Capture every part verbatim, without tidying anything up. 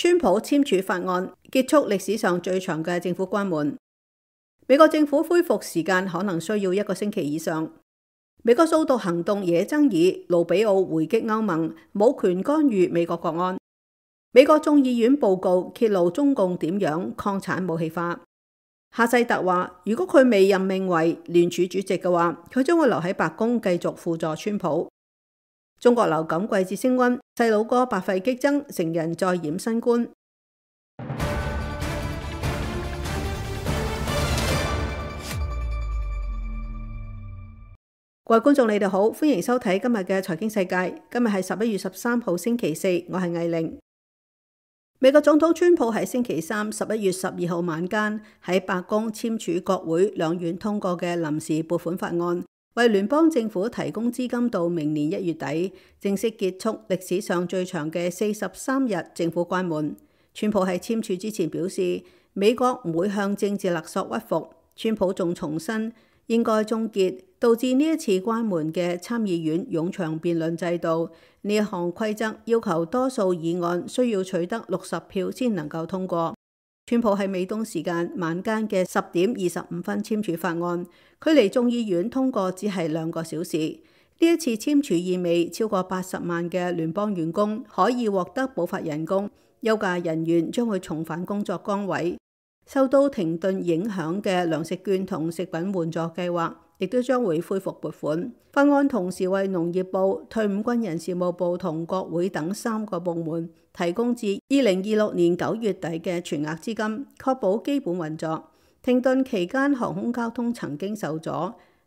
川普簽署法案，結束歷史上最長嘅政府關門。美國政府恢復時間可能需要一個星期以上。美國掃毒行動惹爭議，盧比奧回擊歐盟，冇權干預美國國安。美國眾議院報告揭露中共點樣礦產武器化。夏世特話，如果佢未任命為聯儲主席嘅話，佢將會留喺白宮繼續輔助川普。中國流感季節升溫，細佬哥百肺激增，成人再染新冠。各位觀眾，你哋好，歡迎收睇今日嘅財經世界。今日係十一月十三號星期四，我係魏玲。美國總統川普喺星期三十一月十二號晚間喺白宮簽署國會兩院通過嘅臨時撥款法案，為聯邦政府提供資金到明年一月底，正式結束歷史上最長嘅四十三日政府關門。川普喺簽署之前表示，美國唔會向政治勒索屈服。川普仲重申應該終結導致呢一次關門嘅參議院冗長辯論制度。呢一項規則要求多數議案需要取得六十票先能夠通過。川普喺美東時間晚間嘅十點二十五分簽署法案，距離眾議院通過只係兩個小時。呢一次簽署意味超過八十萬嘅聯邦員工可以獲得補發人工，休假人員將會重返工作崗位。受到停頓影響嘅糧食券同食品援助計劃亦都將會恢復撥款。法案同時為農業部、退伍軍人事務部同國會等三個部門提供至二零二六年九月底嘅全額資金，確保基本運作。停頓期間，航空交通曾經受阻，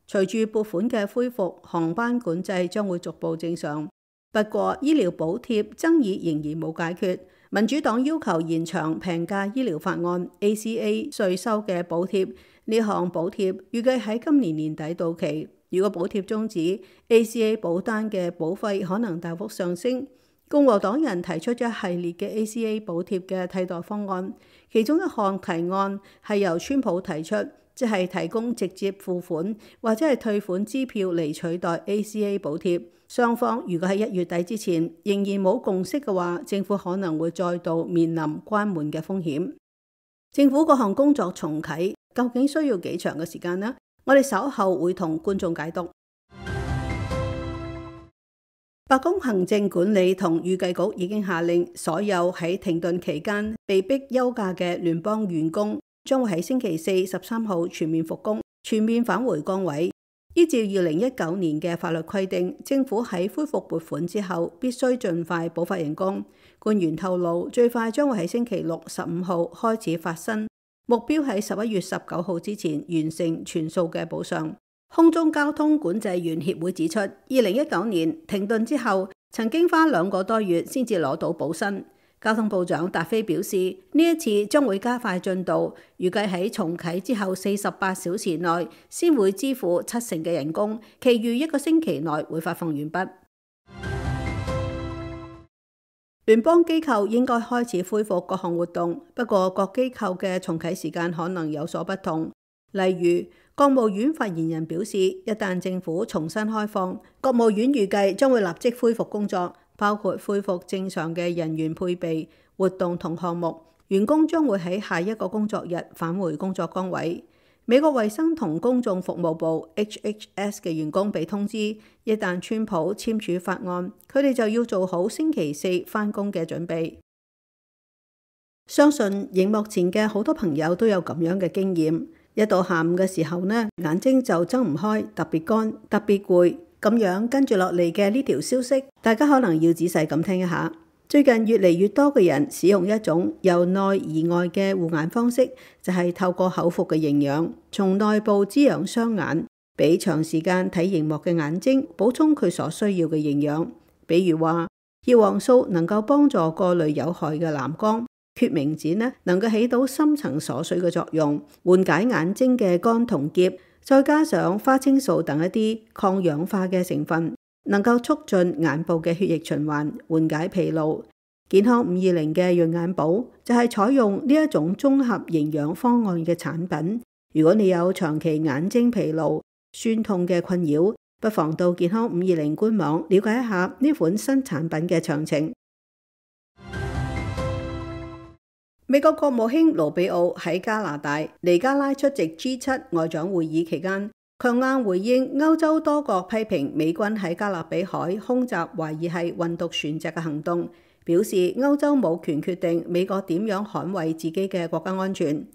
隨住撥款嘅恢復，航班管制將會逐步正常。不過，醫療補貼爭議仍然冇解決。民主黨要求延長平價醫療法案 A C A 稅收嘅補貼，呢項補貼預計喺今年年底到期。如果補貼終止 ，A C A 保單嘅保費可能大幅上升。共和黨人提出咗一系列嘅 A C A 補貼嘅替代方案，其中一項提案係由川普提出，即係提供直接付款或者係退款支票嚟取代 A C A 補貼。雙方如果喺一月底之前仍然冇共識嘅話，政府可能會再度面臨關門嘅風險。政府各項工作重啟，究竟需要幾長嘅時間呢？我哋稍後會同觀眾解讀。白宮行政管理同預計局已經下令，所有喺停頓期間被逼休假嘅聯邦員工將會喺星期四十三號全面復工，全面返回崗位。依照二零一九年嘅法律規定，政府喺恢復撥款之後必須盡快補發人工。官員透露，最快將會喺星期六十五號開始發薪，目標喺十一月十九號之前完成全數嘅補償。空中交通管制員協會指出，二零一九年停頓之後，曾經花兩個多月先至攞到補薪。交通部長達菲表示，呢一次將會加快進度，預計喺重啟之後四十八小時內先會支付七成嘅人工，其餘一個星期內會發放完畢。聯邦機構應該開始恢復各項活動，不過各機構嘅重啟時間可能有所不同。例如，國務院發言人表示，一旦政府重新開放，國務院預計將會立即恢復工作。包括恢復正常嘅人員配備、活動同項目，員工將會喺下一個工作日返回工作崗位。美國衛生同公眾服務部 H H S 嘅員工被通知，一旦川普簽署法案，佢哋就要做好星期四返工嘅準備。相信熒幕前嘅好多朋友都有咁樣嘅經驗，一到下午嘅時候呢，眼睛就睜唔開，特別乾，特別攰。咁樣跟住落嚟嘅呢條消息，大家可能要仔細咁聽一下。最近越嚟越多嘅人使用一種由內而外嘅護眼方式，就係透過口服嘅營養，從內部滋養雙眼，俾長時間睇熒幕嘅眼睛補充佢所需要嘅營養。比如話，葉黃素能夠幫助過濾有害嘅藍光，決明子呢能夠起到深層鎖水嘅作用，緩解眼睛嘅乾同澀。再加上花青素等一啲抗氧化嘅成分，能夠促進眼部嘅血液循環，緩解疲勞。健康五二零嘅潤眼寶就係採用呢一種綜合營養方案嘅產品。如果你有長期眼睛疲勞、酸痛嘅困擾，不妨到健康五二零官網了解一下呢款新產品嘅詳情。美國國務卿盧比奧喺加拿大尼加拉出席 G 七外長會議期間，強硬回應歐洲多國批評美軍喺加勒比海空襲懷疑係運毒船隻嘅行動，表示歐洲冇權決定美國點樣捍衛自己嘅國家安全。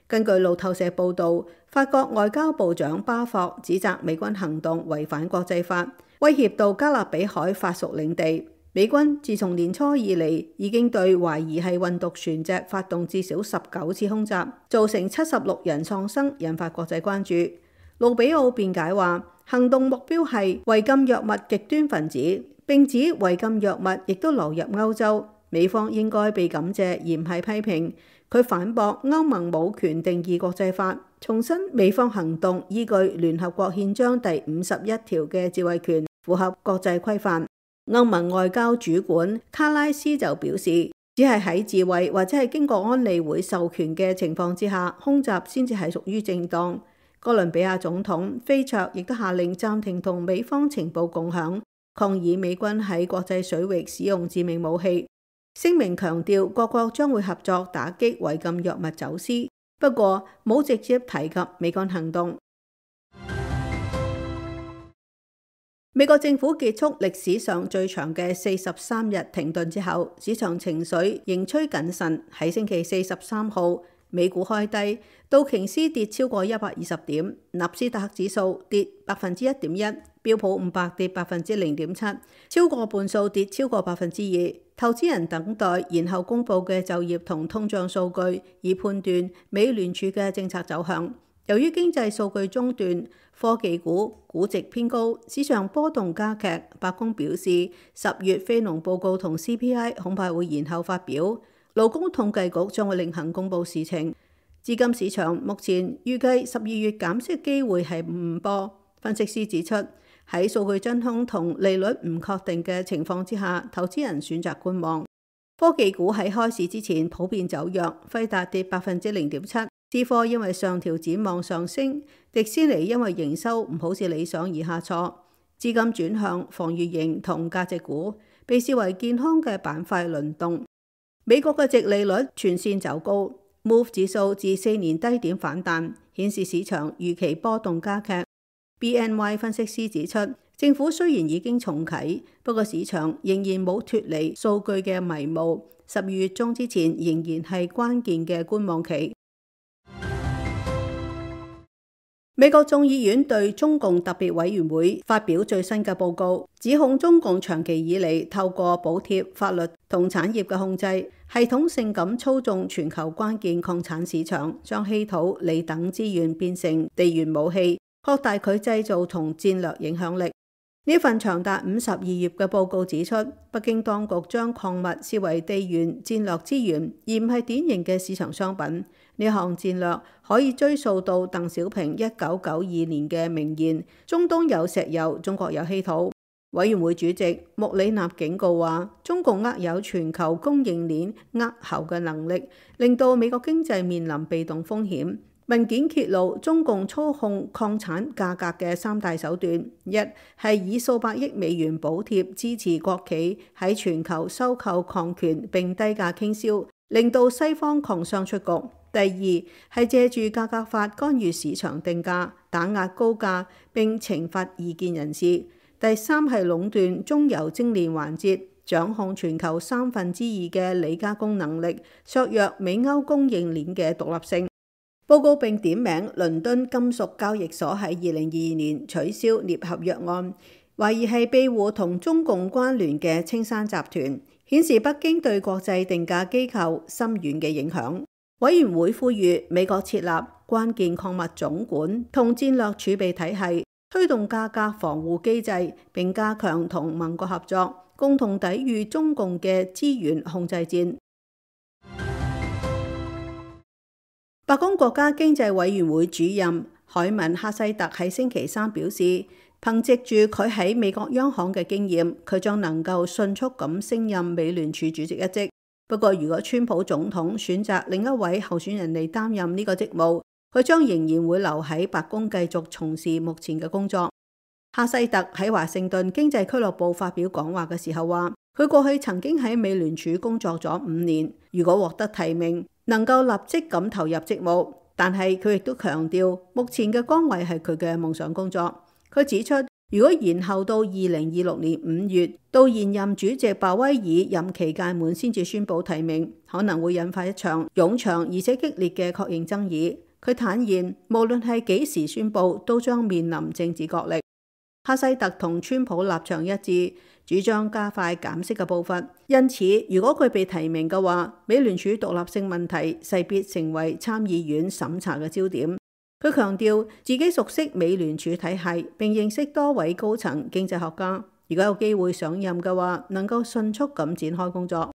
根據路透社報導，法國外交部長巴霍指責美軍行動違反國際法，威脅到加勒比海法屬領地。美軍自從年初以嚟已經對懷疑係運毒船隻發動至少十九次空襲，造成七十六人喪生，引發國際關注。盧比奧辯解話，行動目標係違禁藥物極端分子，並指違禁藥物亦都流入歐洲，美方應該被感謝而唔係批評。佢反駁歐盟冇權定義國際法，重申美方行動依據聯合國憲章第五十一條嘅自衛權，符合國際規範。歐盟外交主管卡拉斯就表示，只係喺自衛或者係經過安理會授權嘅情況之下，空襲先至係屬於正當。哥倫比亞總統菲卓亦都下令暫停同美方情報共享，抗議美軍喺國際水域使用致命武器。聲明強調各國將會合作打擊違禁藥物走私，不過冇直接提及美軍行動。美國政府結束歷史上最長嘅四十三日停頓之後，市場情緒仍趨謹慎。喺星期四十三號，美股開低，道瓊斯跌超過一百二十點，納斯達克指數跌百分之一點一，標普五百跌百分之零點七，超過半數跌超過百分之二。投資人等待然後公佈嘅就業同通脹數據，以判斷美聯儲嘅政策走向。由於經濟數據中斷，科技股估值偏高，市場波動加劇。白宮表示，十月非農報告同 C P I 恐怕會延後發表。勞工統計局將會另行公佈事情。資金市場目前預計十二月減息機會係五波。分析師指出，喺數據真空同利率唔確定嘅情況之下，投資人選擇觀望。科技股喺開市之前普遍走弱，輝達跌百分之零點七。思科因為上調展望上升，迪士尼因為營收唔好似理想而下挫，資金轉向防禦型同價值股，被視為健康嘅板塊輪動。美國嘅殖利率全線走高 ，Move 指數自四年低點反彈，顯示市場預期波動加劇。B N Y 分析師指出，政府雖然已經重啟，不過市場仍然冇脫離數據嘅迷霧，十二月中之前仍然係關鍵嘅觀望期。美國眾議院對中共特別委員會發表最新嘅報告，指控中共長期以嚟透過補貼、法律同產業嘅控制，系統性咁操縱全球關鍵礦產市場，將稀土、鋰等資源變成地緣武器，擴大佢製造同戰略影響力。呢份長達五十二頁嘅報告指出，北京當局將礦物視為地緣戰略資源，而唔係典型嘅市場商品。呢項戰略可以追溯到鄧小平一九九二年嘅名言：中東有石油，中國有稀土。委員會主席穆里納警告話，中共握有全球供應鏈扼喉嘅能力，令到美國經濟面臨被動風險。文件揭露中共操控礦產價格嘅三大手段：一係以數百億美元補貼支持國企喺全球收購礦權並低價傾銷，令到西方礦商出局；第二係借住價格法干預市場定價，打壓高價並懲罰異見人士；第三係壟斷中游精煉環節，掌控全球三分之二嘅鋰加工能力，削弱美歐供應鏈嘅獨立性。報告並點名倫敦金屬交易所喺二零二二年取消鎳合約案，懷疑係庇護同中共關聯嘅青山集團，顯示北京對國際定價機構深遠嘅影響。委員會呼籲美國設立關鍵礦物總管同戰略儲備體系，推動價格防護機制，並加強同盟國合作，共同抵禦中共嘅資源控制戰。白宮國家經濟委員會主任海文哈西特喺星期三表示，憑藉住佢喺美國央行嘅經驗，佢將能夠迅速咁升任美聯儲主席一職。不過，如果川普總統選擇另一位候選人嚟擔任呢個職務，佢將仍然會留喺白宮繼續從事目前嘅工作。哈西特喺華盛頓經濟俱樂部發表講話嘅時候話，佢過去曾經喺美聯儲工作咗五年，如果獲得提名，能夠立即咁投入職務。但係佢亦都強調，目前嘅崗位係佢嘅夢想工作。佢指出，如果延後到二零二六年五月，到現任主席鮑威爾任期屆滿先至宣布提名，可能會引發一場冗長而且激烈嘅確認爭議。佢坦言，無論係幾時宣布，都將面臨政治角力。哈西特同川普立場一致，主張加快減息嘅步伐。因此，如果佢被提名嘅話，美聯儲獨立性問題勢必成為參議院審查嘅焦點。佢強調自己熟悉美聯儲體系，並認識多位高層經濟學家。如果有機會上任嘅話，能夠迅速咁展開工作。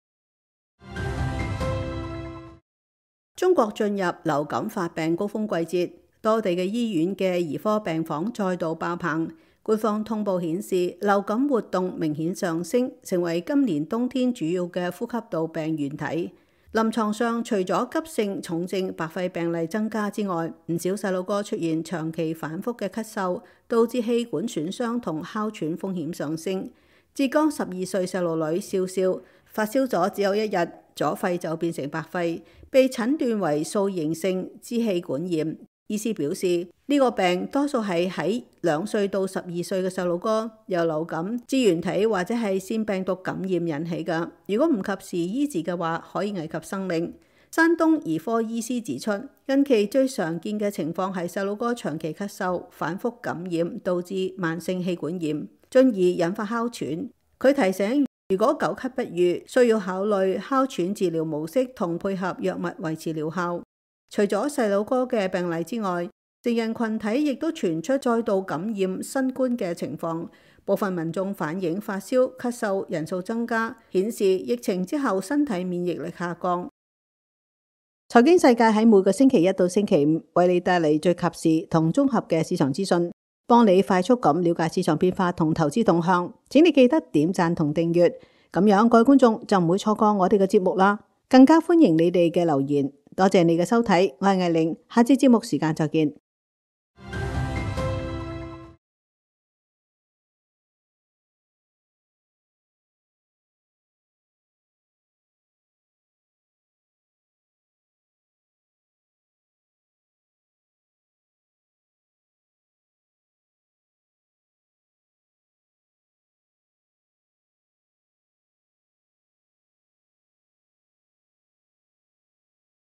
中國進入流感發病高峰季節，多地嘅醫院嘅兒科病房再度爆棚。官方通報顯示，流感活動明顯上升，成為今年冬天主要嘅呼吸道病原體。臨床上，除咗急性重症白肺病例增加之外，唔少細路哥出現長期反覆嘅咳嗽，導致氣管損傷同哮喘風險上升。浙江十二歲細路女笑笑發燒咗只有一日，左肺就變成白肺，被診斷為素形性支氣管炎。醫師表示，呢個病多數係喺兩歲到十二歲嘅細路哥由流感支原體或者係腺病毒感染引起嘅。如果唔及時醫治嘅話，可以危及生命。山東兒科醫師指出，近期最常見嘅情況係細路哥長期咳嗽、反覆感染，導致慢性氣管炎，進而引發哮喘。佢提醒，如果久咳不愈，需要考慮哮喘治療模式同配合藥物維持療效。除咗細路哥嘅病例之外，成人群體亦都傳出再度感染新冠嘅情況。部分民眾反映發燒、咳嗽人數增加，顯示疫情之後身體免疫力下降。財經世界喺每個星期一到星期五為你帶嚟最及時同綜合嘅市場資訊，幫你快速咁了解市場變化同投資動向。請你記得點讚同訂閱，咁樣各位觀眾就唔會錯過我哋嘅節目啦。更加歡迎你哋嘅留言。多謝你嘅收睇，我係艾玲，下次節目時間再見。